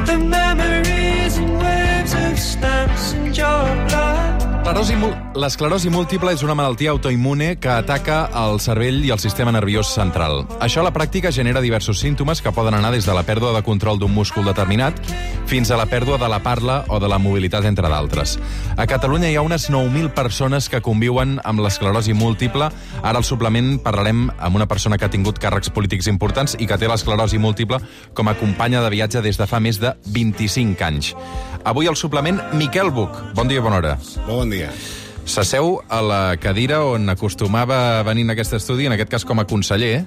The memories and waves of stamps and your blood. L'esclerosi múltiple és una malaltia autoimmune que ataca el cervell i el sistema nerviós central. Això a la pràctica genera diversos símptomes que poden anar des de la pèrdua de control d'un múscul determinat fins a la pèrdua de la parla o de la mobilitat, entre d'altres. A Catalunya hi ha unes 9.000 persones que conviuen amb l'esclerosi múltiple. Ara al suplement parlarem amb una persona que ha tingut càrrecs polítics importants i que té l'esclerosi múltiple com a companya de viatge des de fa més de 25 anys. Avui al suplement, Miquel Buch. Bon dia i bona hora. Bon dia. S'asseu a la cadira on acostumava a venir en aquest estudi, en aquest cas com a conseller,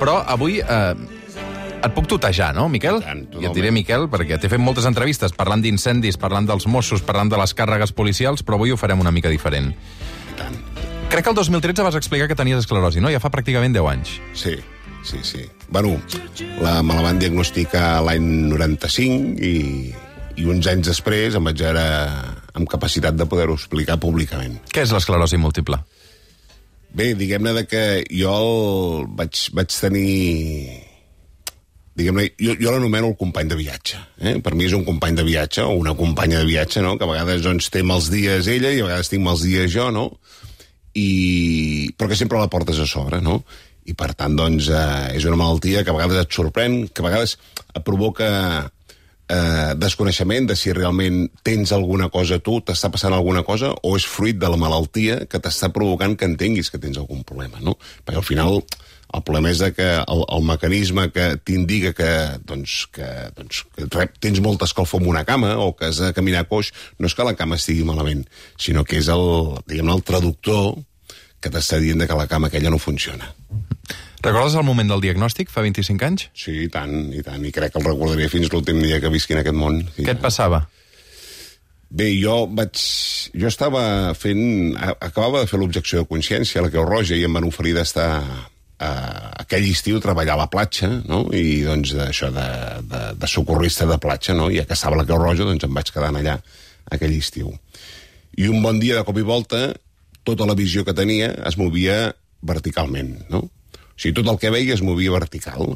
però avui et puc tutejar, no, Miquel? I et diré Miquel, perquè t'he fet moltes entrevistes parlant d'incendis, parlant dels Mossos, parlant de les càrregues policials, però avui ho farem una mica diferent. Crec que el 2013 vas explicar que tenies esclerosi, no? Ja fa pràcticament 10 anys. Sí. Bueno, me la van diagnosticar l'any 95 i uns anys després em vaig veure amb capacitat de poder-ho explicar públicament. Què és l'esclerosi múltiple? Bé, diguem-ne que jo vaig tenir... Diguem-ne, jo l'anomeno el company de viatge. Per mi és un company de viatge o una companya de viatge, no? Que a vegades doncs, té mals dies ella i a vegades tinc mals dies jo, no? Però que sempre la portes a sobre, no? I per tant, doncs, és una malaltia que a vegades et sorprèn, que a vegades et provoca desconeixement de si realment tens alguna cosa tu, t'està passant alguna cosa, o és fruit de la malaltia que t'està provocant que entenguis que tens algun problema, no? Perquè al final el problema és que el mecanisme que t'indica que tens molta escalfor en una cama o que has de caminar coix, no és que la cama estigui malament, sinó que és el traductor que t'està dient que la cama aquella no funciona. Recordes el moment del diagnòstic, fa 25 anys? Sí, i tant, i crec que el recordaré fins l'últim dia que visqui en aquest món. Què et passava? Bé, jo estava fent... Acabava de fer l'objecció de consciència a la Creu Roja i em van oferir d'estar aquell estiu treballar a la platja, no? I doncs això de socorrista de platja, no? I a que estava a la Creu Roja doncs em vaig quedar allà aquell estiu. I un bon dia, de cop i volta, tota la visió que tenia es movia verticalment, no? O sigui, tot el que veia es movia vertical,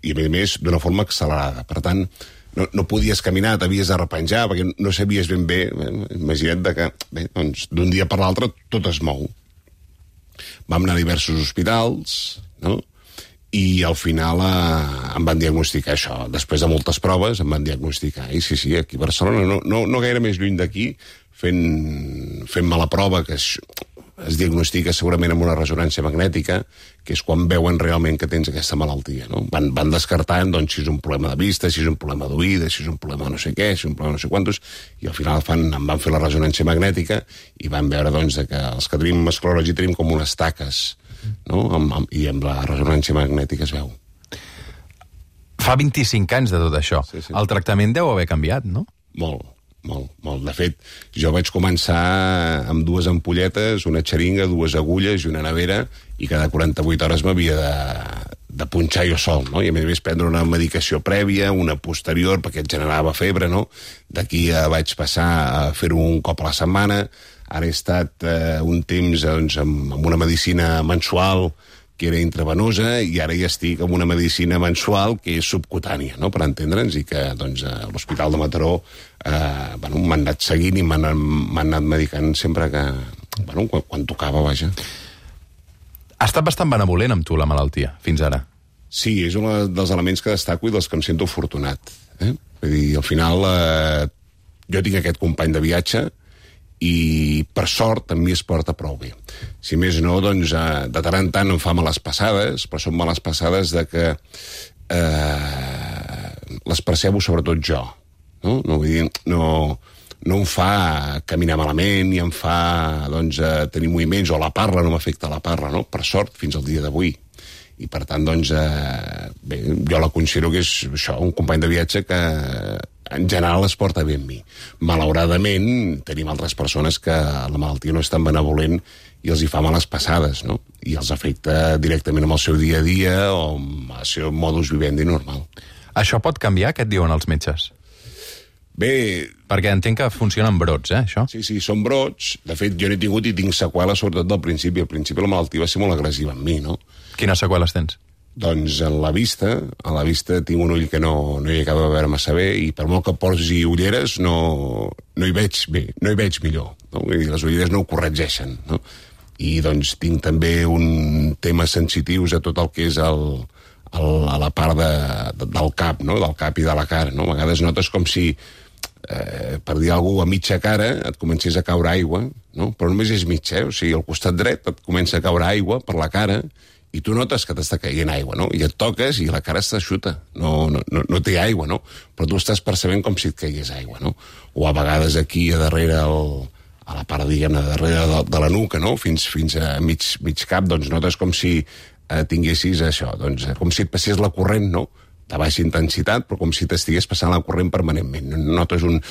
i a més d'una forma accelerada. Per tant, no podies caminar, t'havies de repenjar, perquè no sabies ben bé, imagina't que doncs, d'un dia per l'altre tot es mou. Vam anar a diversos hospitals, no? I al final em van diagnosticar això. Després de moltes proves em van diagnosticar. I sí, aquí a Barcelona, no gaire més lluny d'aquí, fent-me la prova que es diagnostica segurament amb una ressonància magnètica, que és quan veuen realment que tens aquesta malaltia, no? Van descartant doncs, si és un problema de vista, si és un problema d'oïda, si és un problema no sé què, si és un problema no sé quantos, i al final em van fer la ressonància magnètica i van veure doncs, que els que tenim esclerosi tenim com unes taques, no? I amb la ressonància magnètica es veu. Fa 25 anys de tot això. Sí. El tractament deu haver canviat, no? Molt. De fet, jo vaig començar amb 2 ampolletes, una xeringa, 2 agulles i una nevera, i cada 48 hores m'havia de punxar jo sol, no? I a més prendre una medicació prèvia, una posterior, perquè et generava febre, no? D'aquí vaig passar a fer-ho un cop a la setmana. Ara he estat un temps doncs, amb una medicina mensual que era intravenosa, i ara ja estic amb una medicina mensual que és subcutània, no?, per entendre'ns, i que doncs, a l'Hospital de Mataró m'han anat seguint i m'han anat medicant sempre que... quan tocava, vaja. Ha estat bastant benevolent amb tu, la malaltia, fins ara. Sí, és un dels elements que destaco i dels que em sento afortunat. Vull dir, al final, jo tinc aquest company de viatge i, per sort, amb mi es porta prou bé. Si més no, doncs, de tant en tant em fa males passades, però són males passades de que les percebo sobretot jo. No? Vull dir, no em fa caminar malament, ni em fa doncs, tenir moviments, o la parla no m'afecta la parla, no? Per sort, fins al dia d'avui. I per tant, doncs, bé, jo la considero que és això, un company de viatge que en general es porta bé amb mi. Malauradament, tenim altres persones que la malaltia no és tan benevolent i els hi fa males passades, no? I els afecta directament amb el seu dia a dia o amb el seu modus vivendi normal. Això pot canviar, què et diuen els metges? Bé... Perquè entenc que funcionen brots, això? Sí, són brots. De fet, jo n'he tingut i tinc seqüeles, sobretot del principi. Al principi la malaltia va ser molt agressiva amb mi, no? Quines seqüeles tens? Doncs a la vista tinc un ull que no hi acaba de veure massa bé, i per molt que posi ulleres no hi veig bé, no hi veig millor, no? Vull dir, les ulleres no ho corregeixen, no? I doncs tinc també un temes sensitius a tot el que és a la part del cap, no? Del cap i de la cara, no? A vegades notes com si, per dir alguna cosa, a mitja cara et comencés a caure aigua, no? Però només és mitja, o sigui, al costat dret et comença a caure aigua per la cara, i tu notes que t'està caient aigua, no? I et toques i la cara està xuta, no té aigua, no? Però tu estàs percebent com si et caigués aigua, no? O a vegades aquí a darrere, a la part, diguem-ne, darrere de la nuca, no? Fins a mig cap, doncs notes com si tinguessis això, doncs com si et passés la corrent, no? De baixa intensitat, però com si t'estigués passant la corrent permanentment. Notes un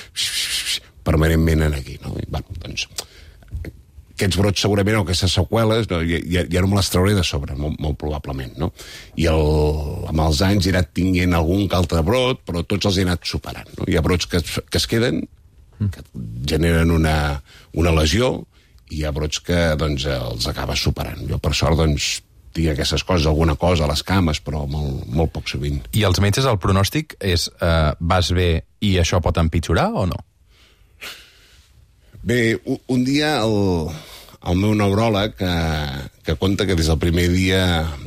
permanentment aquí, no? I, bueno, doncs aquests brots segurament, o aquestes seqüeles, no, ja no me les trauré de sobre, molt probablement, no? I amb els anys he anat tinguent algun que altre brot, però tots els he anat superant, no? Hi ha brots que es queden, que generen una lesió, i hi ha brots que doncs, els acabes superant. Jo, per sort, doncs, tinc aquestes coses, alguna cosa a les cames, però molt poc sovint. I els metges, el pronòstic és vas bé i això pot empitjorar o no? Bé, un dia el meu neuròleg que conta que des del primer dia,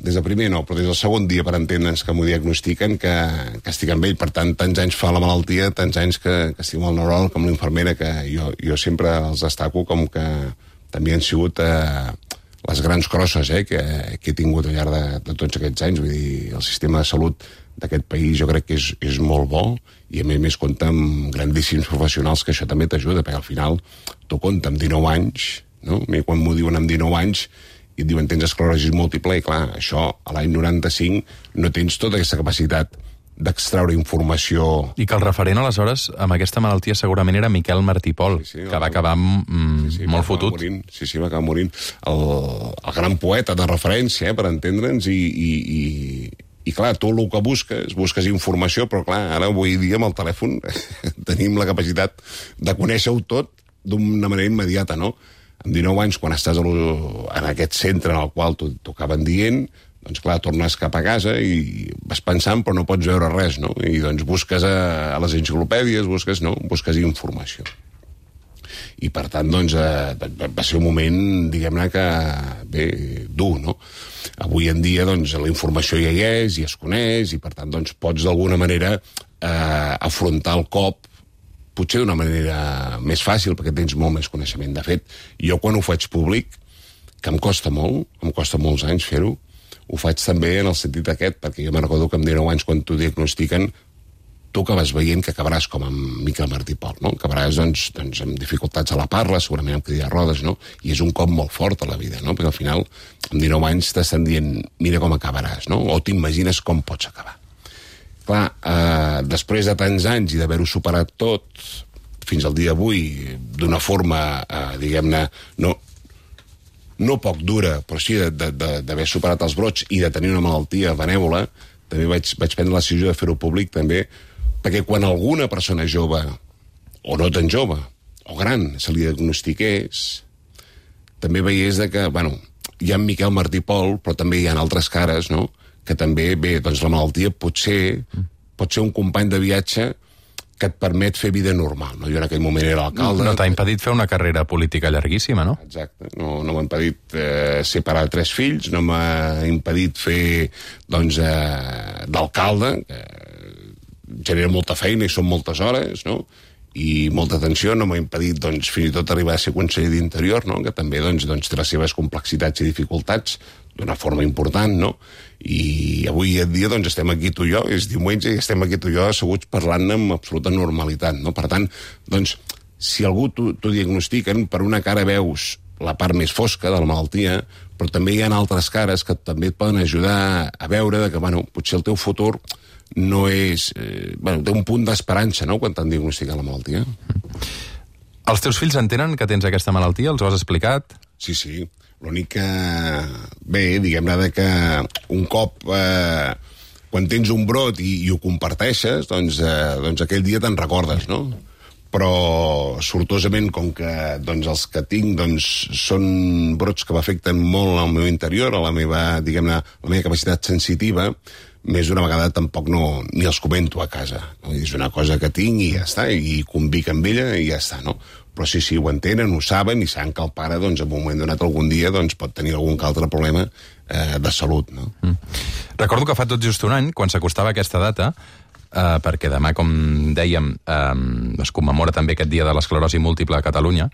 des del segon dia, per entendre'ns, que m'ho diagnostiquen, que estic amb ell, per tant, tants anys fa la malaltia, tants anys que estic amb el neuròleg, com l'infermera, que jo sempre els destaco com que també han sigut les grans crosses que he tingut al llarg de tots aquests anys. Vull dir, el sistema de salut d'aquest país jo crec que és molt bo, i a més compta amb grandíssims professionals, que això també t'ajuda, perquè al final tu compta amb 19 anys, no? A mi quan m'ho diuen amb 19 anys i et diuen tens esclerosi múltiple, i clar, això a l'any 95 no tens tota aquesta capacitat d'extraure informació. I que el referent, aleshores, amb aquesta malaltia segurament era Miquel Martí Pol, que va acabar molt fotut. Va acabar morint. El gran poeta de referència, per entendre'ns, i clar, tu el que busques informació, però clar, ara avui dia amb el telèfon tenim la capacitat de conèixer-ho tot d'una manera immediata, no? Amb 19 anys, quan estàs en aquest centre en el qual t'ho acaben dient, doncs clar, tornes cap a casa i vas pensant però no pots veure res, no? I doncs busques a les enciclopèdies, busques informació. I per tant, doncs, va ser un moment, diguem-ne, que bé, dur, no? Avui en dia, doncs, la informació ja hi és, i es coneix, i per tant, doncs, pots d'alguna manera afrontar el cop, potser d'una manera més fàcil, perquè tens molt més coneixement. De fet, jo quan ho faig públic, que em costa molts anys fer-ho, ho faig també en el sentit aquest, perquè jo me'n recordo que amb 19 anys, quan t'ho diagnostiquen, tu acabes veient que acabaràs com amb Miquel Martí Pol, no? Acabaràs, doncs, amb dificultats a la parla, segurament amb cadira de rodes, no? I és un cop molt fort a la vida, no? Perquè al final, amb 19 anys t'estan dient, mira com acabaràs, no? O t'imagines com pots acabar. Clar, després de tants anys i d'haver-ho superat tot, fins al dia d'avui, d'una forma, diguem-ne, no poc dura, però sí d'haver superat els brots i de tenir una malaltia benèvola, també vaig prendre la decisió de fer-ho públic, també, perquè quan alguna persona jove, o no tan jove, o gran, se li diagnostiqués, també veiés que, bueno, hi ha Miquel Martí Pol, però també hi ha altres cares, no?, que també, bé, doncs la malaltia pot ser un company de viatge que et permet fer vida normal, no? Jo en aquell moment era alcalde. No t'ha impedit fer una carrera política llarguíssima, no? Exacte. No m'ha impedit ser pare de 3 fills, no m'ha impedit fer, doncs, d'alcalde, que genera molta feina i són moltes hores, no? I molta atenció, no m'ha impedit, doncs, fins i tot arribar a ser conseller d'Interior, no? Que també, doncs, té les seves complexitats i dificultats d'una forma important, no? I avui en dia, doncs, estem aquí tu i jo, és diumenge, i estem aquí tu i jo asseguts parlant amb absoluta normalitat, no? Per tant, doncs, si algú t'ho diagnostiquen, per una cara veus la part més fosca de la malaltia, però també hi ha altres cares que també et poden ajudar a veure que, bueno, potser el teu futur no és... té un punt d'esperança, no?, quan t'han diagnosticat la malaltia. Els teus fills entenen que tens aquesta malaltia? Els ho has explicat? Sí. L'únic que... Bé, diguem-ne que un cop... quan tens un brot i ho comparteixes, doncs aquell dia te'n recordes, no? però sortosament, com que doncs, els que tinc doncs, són brots que m'afecten molt al meu interior, a la meva, diguem-ne, la meva capacitat sensitiva, més d'una vegada tampoc ni els comento a casa. No? És una cosa que tinc i ja està, i convic amb ella i ja està, no? Però sí, ho entenen, ho saben, i saben que el pare, doncs, en un moment donat algun dia, doncs, pot tenir algun altre problema de salut, no? Recordo que fa tot just un any, quan s'acostava aquesta data, perquè demà, com dèiem, es commemora també aquest dia de l'esclerosi múltiple a Catalunya,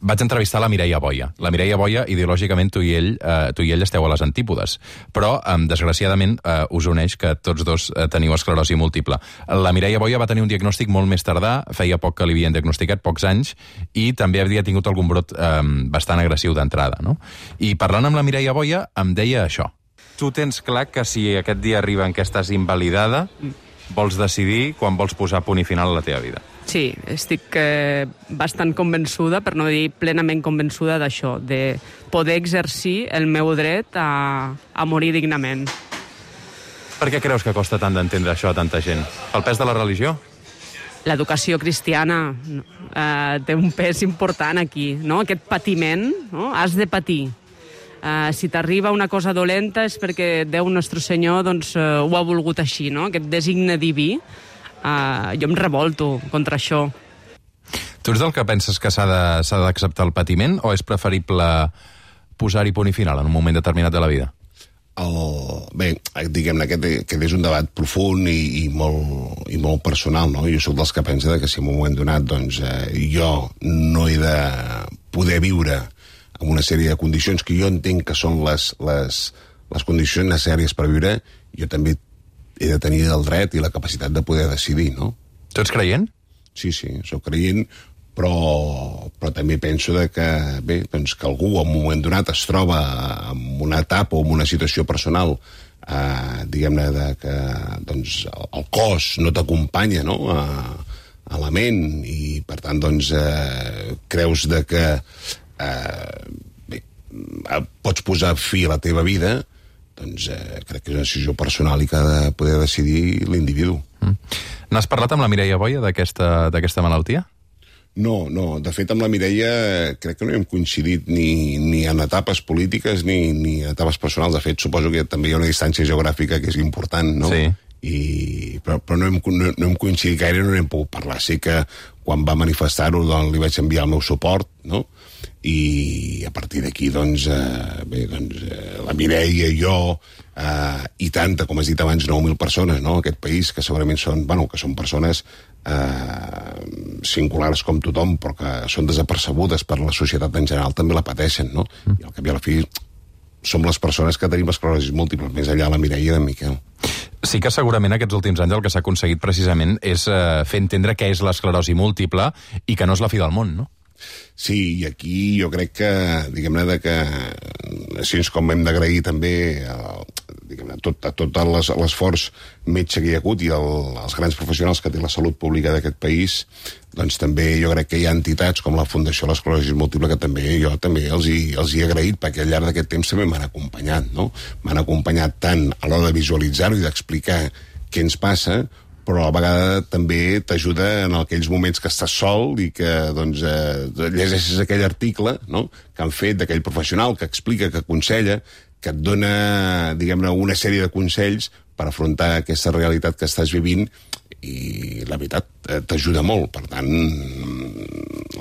vaig entrevistar la Mireia Boia. La Mireia Boia, ideològicament, tu i ell esteu a les antípodes, però, desgraciadament, us uneix que tots dos teniu esclerosi múltiple. La Mireia Boia va tenir un diagnòstic molt més tardà, feia poc que li havien diagnosticat, pocs anys, i també havia tingut algun brot bastant agressiu d'entrada, no? I parlant amb la Mireia Boia, em deia això. Tu tens clar que si aquest dia arriba en què estàs invalidada, vols decidir quan vols posar punt i final a la teva vida. Sí, estic bastant convençuda, per no dir plenament convençuda d'això, de poder exercir el meu dret a morir dignament. Per què creus que costa tant d'entendre això a tanta gent? El pes de la religió? L'educació cristiana té un pes important aquí, no? Aquest patiment, no? Has de patir. Si t'arriba una cosa dolenta és perquè Déu Nostre Senyor doncs, ho ha volgut així, no? Aquest designe diví. Jo em revolto contra això. Tu ets del que penses que s'ha d'acceptar el patiment o és preferible posar-hi punt i final en un moment determinat de la vida? Bé, diguem-ne, aquest és un debat profund i molt personal, no? Jo soc dels que pensa que si en un moment donat doncs, jo no he de poder viure amb una sèrie de condicions que jo entenc que són les condicions necessàries per viure, jo també he de tenir el dret i la capacitat de poder decidir, no? Tu ets creient? Sí, soc creient, però també penso que algú en un moment donat es troba en una etapa o en una situació personal, diguem-ne, que doncs, el cos no t'acompanya, no?, a la ment, i per tant doncs, creus que pots posar fi a la teva vida, doncs crec que és una decisió personal i que ha de poder decidir l'individu. N'has parlat amb la Mireia Boia d'aquesta malaltia? No, de fet amb la Mireia crec que no hem coincidit ni en etapes polítiques ni en etapes personals. De fet, suposo que també hi ha una distància geogràfica que és important, no? Sí. Però no hem coincidit gaire, no n'hem pogut parlar. Sé que quan va manifestar-ho doncs, li vaig enviar el meu suport, no? I a partir d'aquí doncs, la Mireia i jo i tanta, com has dit abans, 9.000 persones, no?, aquest país, que segurament són persones singulars com tothom, però que són desapercebudes per la societat en general, també la pateixen, no? I al cap i a la fi som les persones que tenim esclerosi múltiple, més enllà la Mireia i en Miquel. Sí que segurament aquests últims anys el que s'ha aconseguit precisament és fer entendre què és l'esclerosi múltiple i que no és la fi del món, no? Sí, i aquí jo crec que, diguem-ne, que així com hem d'agrair també tot l'esforç metge que hi ha hagut i els grans professionals que té la salut pública d'aquest país, doncs també jo crec que hi ha entitats com la Fundació de l'Esclerosi Múltiple que jo també els hi he agraït, perquè al llarg d'aquest temps també m'han acompanyat, no? M'han acompanyat tant a l'hora de visualitzar-ho i d'explicar què ens passa, però a la vegada també t'ajuda en aquells moments que estàs sol i que doncs, llegeixes aquell article, no?, que han fet d'aquell professional que explica, que aconsella, que et dona, diguem-ne, una sèrie de consells per afrontar aquesta realitat que estàs vivint, i la veritat t'ajuda molt. Per tant,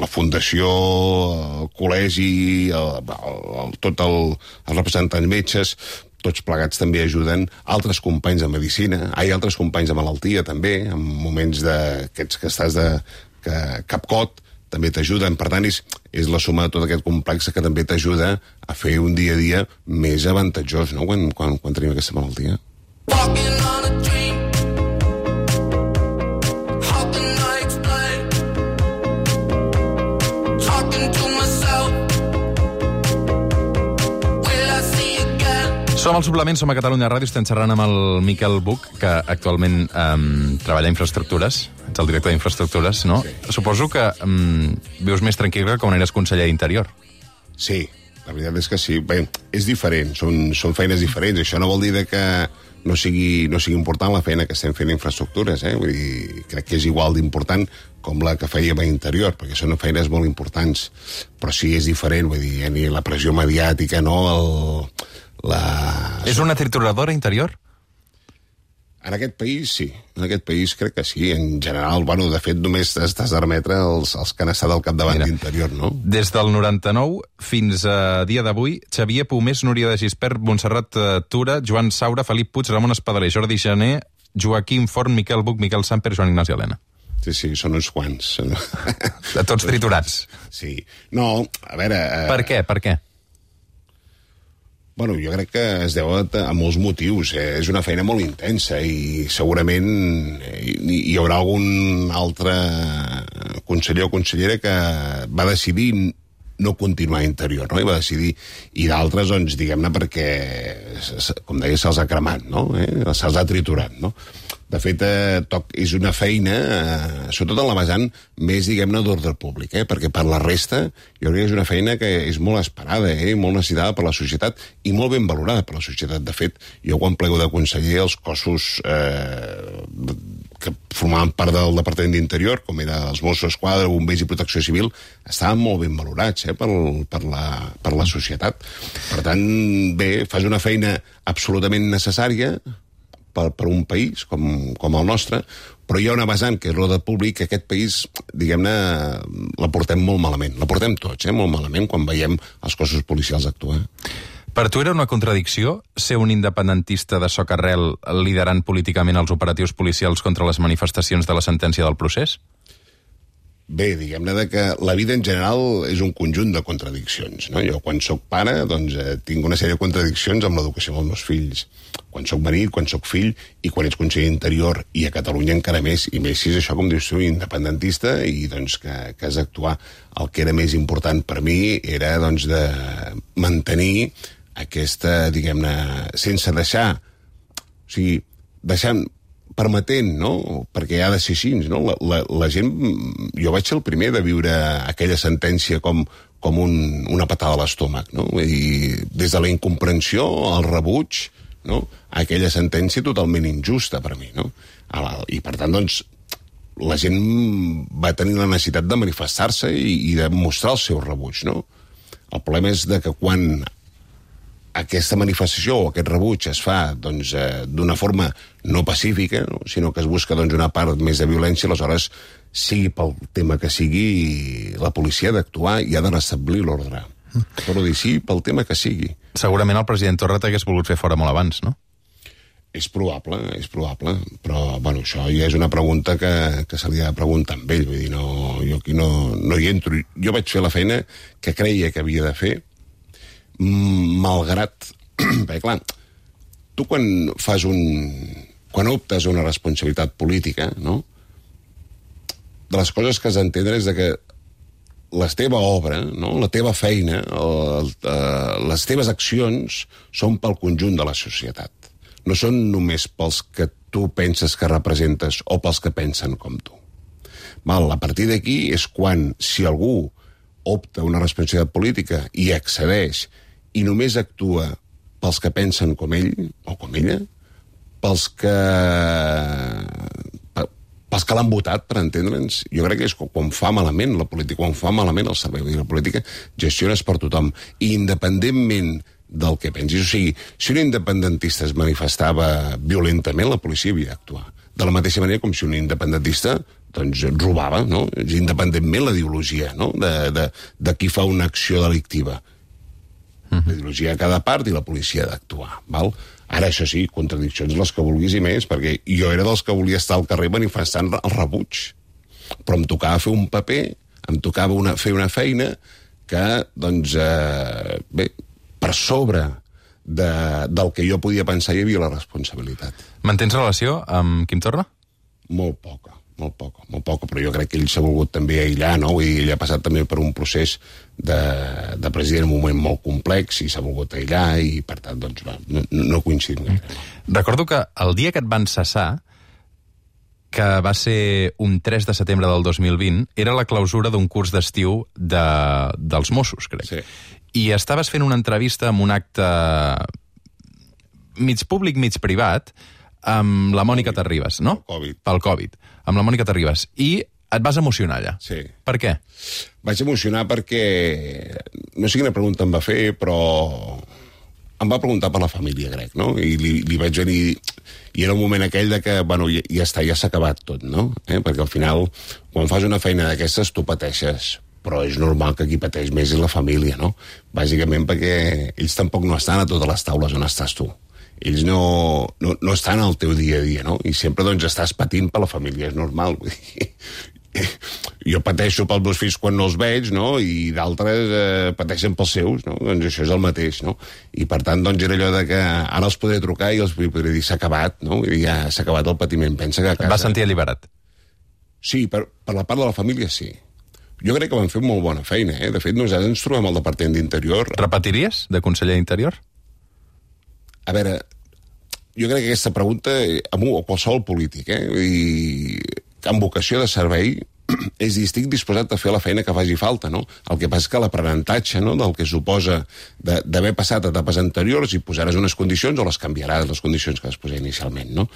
la Fundació, el col·legi, tots els representants metges, tots plegats també ajuden altres companys de medicina, altres companys de malaltia també, en moments d'aquests que estàs de capcot, també t'ajuden. Per tant, és la suma de tot aquest complex que també t'ajuda a fer un dia a dia més avantatjós, no?, quan tenim aquesta malaltia. Som al Suplement, som a Catalunya Ràdio, estem xerrant amb el Miquel Buch, que actualment treballa a Infraestructures, ets el director d'Infraestructures, no? Sí. Suposo que vius més tranquil que quan eres conseller d'Interior. Sí, la veritat és que sí. Bé, és diferent, són feines diferents. Això no vol dir que no sigui important la feina que estem fent a Infraestructures, Vull dir crec que és igual d'important com la que fèiem a Interior, perquè són feines molt importants, però sí és diferent, vull dir, ni la pressió mediàtica, no? És una trituradora Interior? En aquest país, sí. En aquest país crec que sí. En general, bueno, de fet, només t'has de remetre els que han estat al capdavant d'Interior, no? Des del 99 fins a dia d'avui, Xavier Pomés, Núria de Gispert, Montserrat Tura, Joan Saura, Felip Puig, Ramon Espadaler, Jordi Jané, Joaquim Forn, Miquel Buch, Miquel Samper, Joan Ignasi Elena. Sí, són uns quants. De tots triturats. Sí. No, a veure... Per què? Bueno, jo crec que es deu a molts motius. És una feina molt intensa i segurament hi haurà algun altre conseller o consellera que va decidir no continuar a Interior, no? I va decidir, i d'altres, doncs, diguem-ne, perquè, com deia, se'ls ha cremat, no? Se'ls ha triturat, no? De fet, és una feina, sobretot en la vessant més, diguem-ne, d'ordre públic, perquè per la resta jo crec que és una feina que és molt esperada, molt necessitada per la societat i molt ben valorada per la societat. De fet, jo quan plego de conseller, els cossos que formaven part del Departament d'Interior, com era els Mossos d'Esquadra, Bombers i Protecció Civil, estaven molt ben valorats per la societat. Per tant, bé, fas una feina absolutament necessària per un país com el nostre, però hi ha una vessant, que és l'ordre públic, que aquest país, diguem-ne, la portem molt malament. La portem tots, molt malament, quan veiem els cossos policials actuar. Per tu era una contradicció ser un independentista de socarrel liderant políticament els operatius policials contra les manifestacions de la sentència del procés? Bé, diguem-ne que la vida en general és un conjunt de contradiccions, no? Jo, quan soc pare, doncs, tinc una sèrie de contradiccions amb l'educació dels meus fills. Quan soc marit, quan soc fill, i quan ets conseller d'Interior, i a Catalunya encara més, i més si és això, com dius tu, independentista, i doncs que has d'actuar. El que era més important per mi era, doncs, de mantenir aquesta, diguem-ne, sense deixar, o sigui, deixant, permetent, no? Perquè ha de ser així, no? La gent... Jo vaig ser el primer de viure aquella sentència com una patada a l'estómac, no? Vull dir, des de la incomprensió, el rebuig, no? Aquella sentència totalment injusta per mi, no? I per tant, doncs, la gent va tenir la necessitat de manifestar-se i de mostrar el seu rebuig, no? El problema és que quan aquesta manifestació o aquest rebuig es fa doncs, d'una forma no pacífica, no? Sinó que es busca doncs, una part més de violència, aleshores, sigui pel tema que sigui, la policia ha d'actuar i ha de restablir l'ordre. Però dir sí pel tema que sigui. Segurament el president Torra t'hagués volgut fer fora molt abans, no? És probable, però bueno, això ja és una pregunta que se li ha de preguntar amb ell, vull dir, jo aquí no hi entro. Jo vaig fer la feina que creia que havia de fer, malgrat... Perquè, clar, tu quan optes a una responsabilitat política, no? De les coses que has d'entendre és que la teva obra, no? La teva feina, les teves accions són pel conjunt de la societat. No són només pels que tu penses que representes o pels que pensen com tu. A partir d'aquí és quan, si algú opta una responsabilitat política i accedeix i només actua pels que pensen com ell o com ella, pels que l'han votat, per entendre'ns, jo crec que és quan fa malament la política, quan fa malament el servei. La política gestiones per tothom, i independentment del que pensis. O sigui, si un independentista es manifestava violentament, la policia havia d'actuar. De la mateixa manera com si un independentista doncs, robava, no? Independentment la ideologia, no? De qui fa una acció delictiva. La ideologia de cada part i la policia ha d'actuar, val? Ara, això sí, contradiccions les que vulguis i més, perquè jo era dels que volia estar al carrer manifestant el rebuig. Però em tocava fer un paper, em tocava fer una feina que, doncs, bé, per sobre del que jo podia pensar hi havia la responsabilitat. Mantens relació amb Quim Torra? Molt poca, però jo crec que ell s'ha volgut també aïllar, no? I ell ha passat també per un procés de president en un moment molt complex i s'ha volgut aïllar i, per tant, doncs, no coincidim gaire. Recordo que el dia que et van cessar, que va ser un 3 de setembre del 2020, era la clausura d'un curs d'estiu dels Mossos, crec. Sí. I estaves fent una entrevista amb un acte mig públic, mig privat, amb la Mònica Terribas, no? Pel Covid. Amb la Mònica Terribas. I et vas emocionar allà. Sí. Per què? Vaig emocionar perquè... No sé quina pregunta em va fer, però... Em va preguntar per la família, crec, no? I li vaig venir... I era un moment aquell de que, bueno, ja està, ja s'ha acabat tot, no? Perquè al final, quan fas una feina d'aquestes, tu pateixes. Però és normal que qui pateix més és la família, no? Bàsicament perquè ells tampoc no estan a totes les taules on estàs tu. Ells no estan al teu dia a dia, no? I sempre, doncs, estàs patint per la família, és normal. Jo pateixo pels meus fills quan no els veig, no? I d'altres pateixen pels seus, no? Doncs això és el mateix, no? I per tant, doncs, era allò de que ara els podré trucar i els podré dir s'ha acabat, no? I ja s'ha acabat el patiment. Pensa que a casa... Et vas sentir alliberat? Sí, per la part de la família, sí. Jo crec que van fer molt bona feina, eh? De fet, nosaltres ens trobem al Departament d'Interior. Repetiries de conseller d'Interior? A veure, jo crec que aquesta pregunta, a qualsevol polític, i amb vocació de servei, estic disposat a fer la feina que faci falta, no? El que passa és que l'aprenentatge, no?, del que suposa d'haver passat etapes anteriors i posaràs unes condicions o les canviaràs, les condicions que es posa inicialment, no?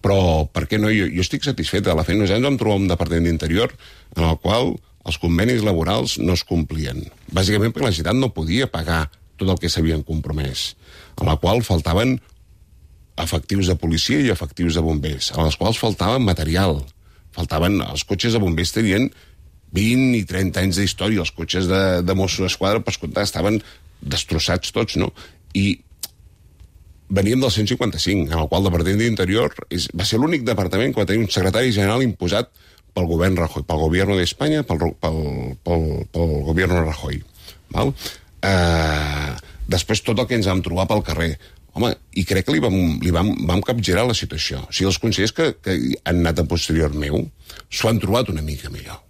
Però, per què no? Jo estic satisfet de la feina. Nosaltres vam trobar un Departament d'Interior en el qual els convenis laborals no es complien. Bàsicament perquè la Generalitat no podia pagar tot el que s'havien compromès, en la qual faltaven efectius de policia i efectius de bombers, a les quals faltava material. Els cotxes de bombers tenien 20 i 30 anys d'història, els cotxes de Mossos d'Esquadra, per comptar, estaven destrossats tots, no? I veníem del 155, en el qual el Departament d'Interior va ser l'únic departament que va tenir un secretari general imposat pel govern Rajoy, pel govern d'Espanya, pel govern Rajoy. Val? Després tot el que ens vam trobar pel carrer. Home, i crec que li vam capgirar la situació. O sigui, els consellers que han anat a posterior meu s'ho han trobat una mica millor.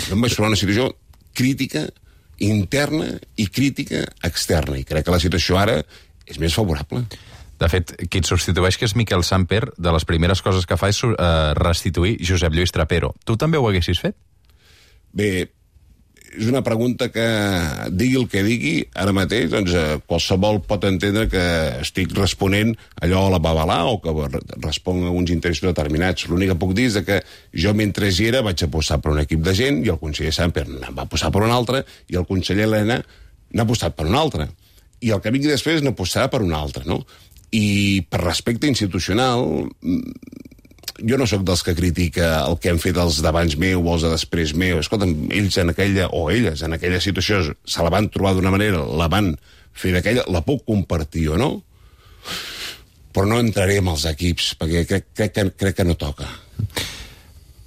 Jo em vaig trobar una situació crítica interna i crítica externa, i crec que la situació ara és més favorable. De fet, qui et substitueix, que és Miquel Samper, de les primeres coses que fa és restituir Josep Lluís Trapero. Tu també ho haguessis fet? Bé, és una pregunta que, digui el que digui, ara mateix, doncs, qualsevol pot entendre que estic responent allò a la babalà o que responc a uns interessos determinats. L'únic que puc dir és que jo, mentre hi era, vaig apostar per un equip de gent i el conseller Samper va apostar per un altre i el conseller Elena n'ha apostat per un altre. I el que vingui després n'apostarà per un altre, no? I per respecte institucional, jo no sóc dels que critica el que han fet els d'abans meu o els de després meu. Escolta'm, ells en aquella, o elles en aquella situació se la van trobar d'una manera, la van fer d'aquella, la puc compartir o no, però no entraré en els equips, perquè crec que no toca.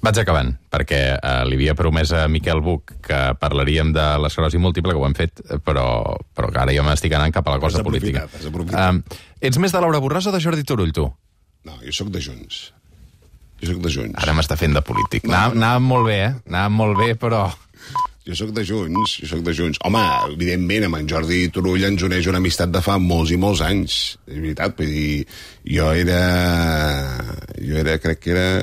Vaig acabant, perquè li havia promès a Miquel Buch que parlaríem de l'esclerosi múltiple, que ho hem fet, però ara jo m'estic anant cap a la cosa política. Has aprofitat. Ets més de Laura Borràs o de Jordi Turull, tu? No, jo sóc de Junts. Ara m'està fent de polític. Anàvem molt bé, Anàvem molt bé, però... Jo sóc de Junts. Home, evidentment, amb en Jordi Turull ens uneix una amistat de fa molts i molts anys. És veritat, vull dir, jo era, crec que era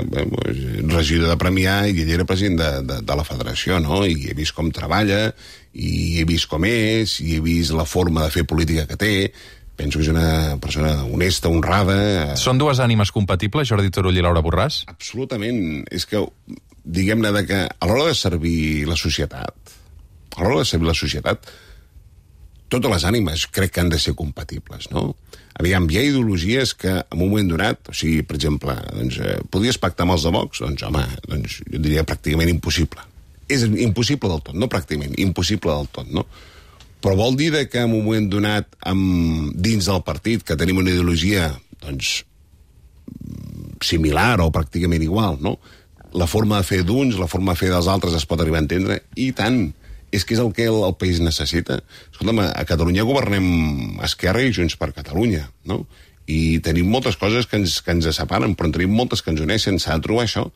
regidor de Premià i ell era president de la federació, no? I he vist com treballa, i he vist com és, i he vist la forma de fer política que té. Penso que és una persona honesta, honrada... Són dues ànimes compatibles, Jordi Turull i Laura Borràs? Absolutament. És que, diguem-ne, que a l'hora de servir la societat, totes les ànimes crec que han de ser compatibles, no? Aviam, hi ha ideologies que en un moment donat, o sigui, per exemple, doncs, podries pactar amb els de Vox? Doncs, home, jo diria pràcticament impossible. És impossible del tot, no pràcticament, impossible del tot, no? Però vol dir que en un moment donat dins del partit que tenim una ideologia doncs, similar o pràcticament igual, no? La forma de fer d'uns, la forma de fer dels altres es pot arribar a entendre, i tant, és que és el que el país necessita. Escolta'm, a Catalunya governem Esquerra i Junts per Catalunya, no? I tenim moltes coses que ens separen, però en tenim moltes que ens uneixen. S'ha de trobar això,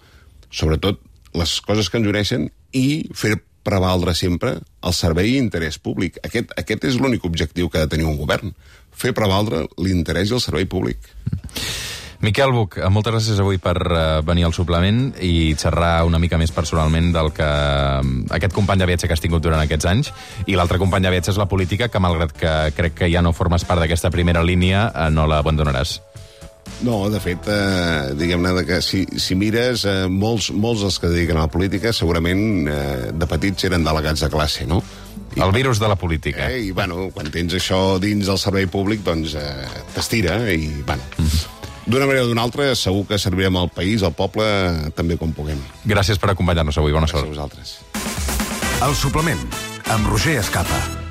sobretot les coses que ens uneixen, i fer prevaldre sempre el servei i interès públic. Aquest és l'únic objectiu que ha de tenir un govern, fer prevaldre l'interès i el servei públic. Miquel Buch, moltes gràcies avui per venir al suplement i xerrar una mica més personalment del que aquest company de viatge que has tingut durant aquests anys, i l'altre company de viatge és la política, que malgrat que crec que ja no formes part d'aquesta primera línia, no l'abandonaràs. No, de fet, diguem-ne que si mires, molts dels que dediquen a la política segurament de petits eren delegats de classe, no? El virus de la política. I, bueno, quan tens això dins del servei públic, doncs t'estira i, bueno... D'una manera o d'una altra, segur que servirem al país, al poble, també com puguem. Gràcies per acompanyar-nos avui. Bona sort. Gràcies a vosaltres. El suplement, amb Roger Escapa.